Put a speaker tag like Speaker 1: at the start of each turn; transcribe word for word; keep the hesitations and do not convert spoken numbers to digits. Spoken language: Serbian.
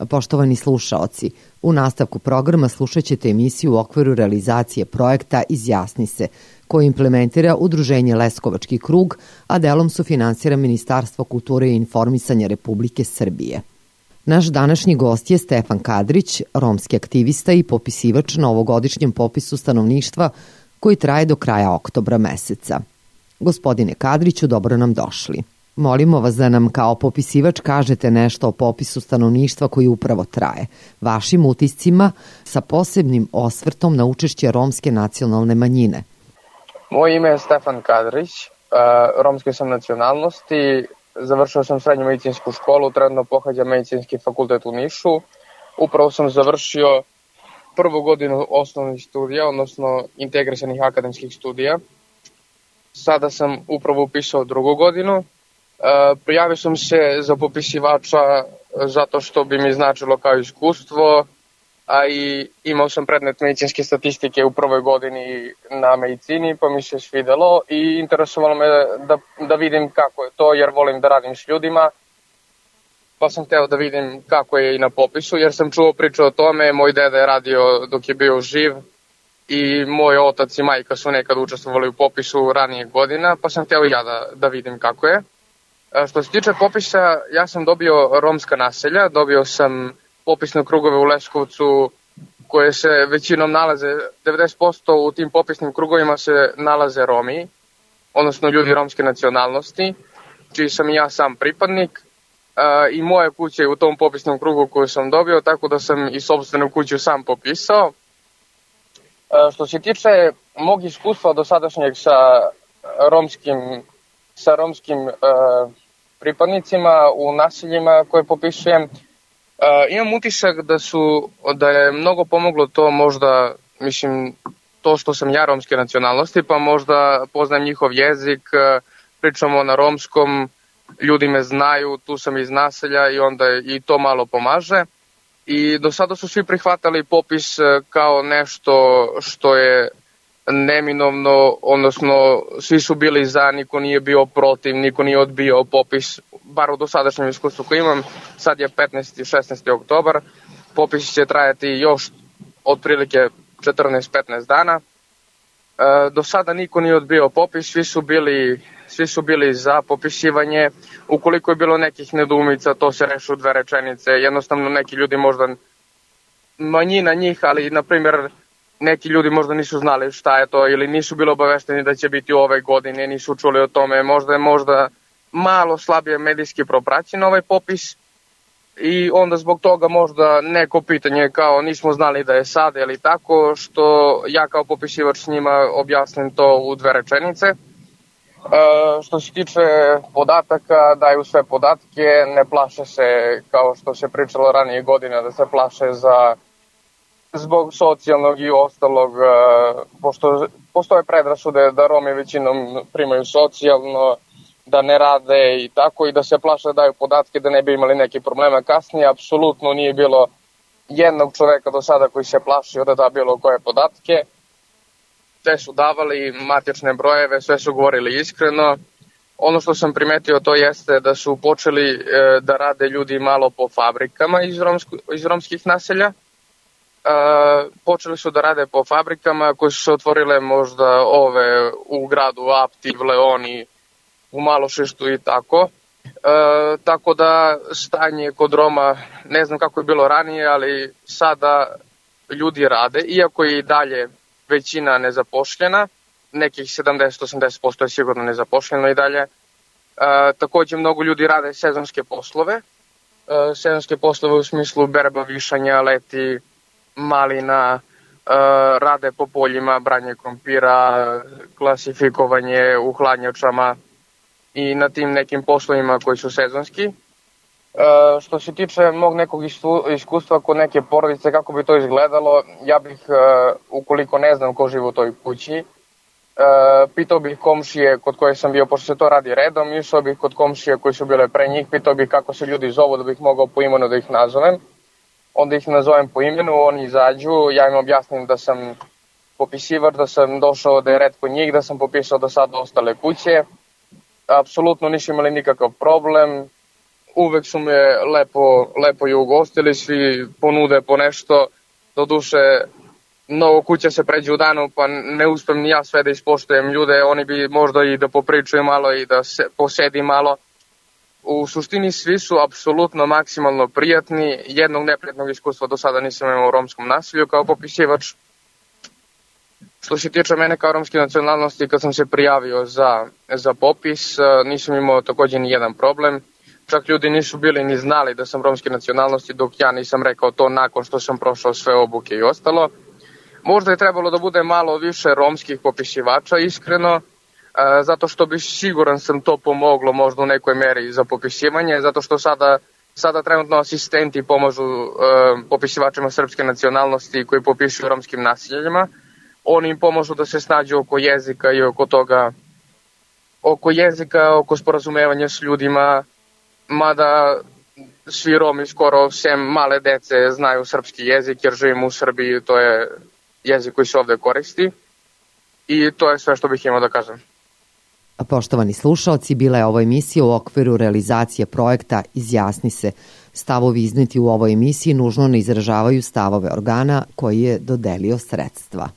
Speaker 1: Poštovani slušaoci, u nastavku programa slušat ćete emisiju u okviru realizacije projekta Izjasni se, koji implementira Udruženje Leskovački krug, a delom sufinansira Ministarstvo kulture i informisanja Republike Srbije. Naš današnji gost je Stefan Kadrić, romski aktivista i popisivač na ovogodišnjem popisu stanovništva koji traje do kraja oktobra meseca. Gospodine Kadriću, dobro nam došli. Molimo vas da nam kao popisivač kažete nešto o popisu stanovništva koji upravo traje, vašim utiscima sa posebnim osvrtom na učešće romske nacionalne manjine.
Speaker 2: Moje ime je Stefan Kadrić, romske sam nacionalnosti, završio sam srednju medicinsku školu, trenutno pohađam medicinski fakultet u Nišu. Upravo sam završio prvu godinu osnovnih studija, odnosno integrisanih akademskih studija. Sada sam upravo upisao drugu godinu. Prijavio sam se za popisivača zato što bi mi značilo kao iskustvo, a i imao sam predmet medicinske statistike u prvoj godini na medicini, pa mi se svidelo i interesovalo me da, da vidim kako je to, jer volim da radim s ljudima, pa sam hteo da vidim kako je i na popisu, jer sam čuo priču o tome, moj deda je radio dok je bio živ i moj otac i majka su nekad učestvovali u popisu ranijeg godina, pa sam hteo i ja da, da vidim kako je. Što se tiče popisa, ja sam dobio romska naselja, dobio sam popisne krugove u Leskovcu koje se većinom nalaze, devedeset posto u tim popisnim krugovima se nalaze Romi, odnosno ljudi romske nacionalnosti, čiji sam i ja sam pripadnik. I moja kuća je u tom popisnom krugu koju sam dobio, tako da sam i sopstvenu kuću sam popisao. Što se tiče mog iskustva do sadašnjeg sa romskim, sa romskim uh, pripadnicima u naseljima koje popisujem, uh, imam utisak da, su, da je mnogo pomoglo to možda, mislim, to što sam ja romske nacionalnosti, pa možda poznajem njihov jezik, uh, pričamo na romskom, ljudi me znaju, tu sam iz naselja i onda i to malo pomaže. I do sada su svi prihvatali popis kao nešto što je neminovno, odnosno svi su bili za, niko nije bio protiv, niko nije odbio popis, bar u dosadašnjem iskustvu koji imam. Sad je petnaesti šesnaesti oktobar, popis će trajati još otprilike četrnaest petnaest dana. E, do sada niko nije odbio popis, svi su bili Svi su bili za popisivanje. Ukoliko je bilo nekih nedoumica, to se reši u dve rečenice. Jednostavno neki ljudi možda, manjina njih, ali na primjer neki ljudi možda nisu znali šta je to ili nisu bili obavešteni da će biti u ove godine, nisu čuli o tome. Možda je možda malo slabije medijski propraćen ovaj popis i onda zbog toga možda neko pitanje kao nismo znali da je sad ili tako, što ja kao popisivač s njima objasnim to u dve rečenice. Uh, što se tiče podataka, daju sve podatke, ne plaše se kao što se pričalo ranije godina da se plaše za zbog socijalnog i ostalog, uh, pošto postoje predrasude da Romi većinom primaju socijalno, da ne rade i tako i da se plaše da daju podatke da ne bi imali neke problema kasnije. Apsolutno nije bilo jednog čoveka do sada koji se plašio da da bilo koje podatke. Sve su davali matične brojeve, sve su govorili iskreno. Ono što sam primetio to jeste da su počeli e, da rade ljudi malo po fabrikama iz, romsko, iz romskih naselja. E, počeli su da rade po fabrikama koje su se otvorile možda ove u gradu Apti, v Leoni, u Malošištu i tako. E, tako da stanje kod Roma, ne znam kako je bilo ranije, ali sada ljudi rade, iako je i dalje većina nezapošljena, nekih sedamdeset do osamdeset posto je sigurno nezapošljeno i dalje. E, takođe mnogo ljudi rade sezonske poslove, e, sezonske poslove u smislu berba, višanja, leti, malina, e, rade po poljima, branje krompira, klasifikovanje u hladnjačama i na tim nekim poslovima koji su sezonski. Uh, što se tiče mog nekog iskustva kod neke porodice, kako bi to izgledalo, ja bih, uh, ukoliko ne znam ko živi u toj kući, uh, pitao bih komšije kod koje sam bio, pošto se to radi redom, išao bih kod komšije koji su bile pre njih, pitao bih kako se ljudi zovu da bih mogao po imenu da ih nazovem. Onda ih nazovem po imenu, oni izađu, ja im objasnim da sam popisivač, da sam došao da je red kod njih, da sam popisao do sada ostale kuće. Apsolutno nisu imali nikakav problem. uvek su me lepo, lepo i ugostili, svi ponude po nešto, do duše mnogo kuća se pređe u danu, pa ne uspem ni ja sve da ispoštujem ljude, oni bi možda i da popričaju malo i da se posedi malo. U suštini svi su apsolutno maksimalno prijatni, jednog neprijatnog iskustva do sada nisam imao u romskom nasilju kao popisivač. Što se tiče mene kao romske nacionalnosti, kad sam se prijavio za, za popis, nisam imao takođe ni jedan problem. Čak ljudi nisu bili ni znali da sam romske nacionalnosti, dok ja nisam rekao to nakon što sam prošao sve obuke i ostalo. Možda je trebalo da bude malo više romskih popisivača, iskreno, zato što bi siguran sam to pomoglo možda u nekoj meri za popisivanje, zato što sada, sada trenutno asistenti pomažu popisivačima srpske nacionalnosti koji popisuju romskim naseljima. Oni im pomažu da se snađu oko jezika i oko toga, oko jezika, oko sporazumevanja s ljudima, mada svi Romi skoro sem male dece znaju srpski jezik jer živimo u Srbiji, to je jezik koji se ovde koristi i to je sve što bih imao da kažem.
Speaker 1: Poštovani slušaoci, bila je ovo emisija u okviru realizacije projekta Izjasni se. Stavovi izneti u ovoj emisiji nužno ne izražavaju stavove organa koji je dodelio sredstva.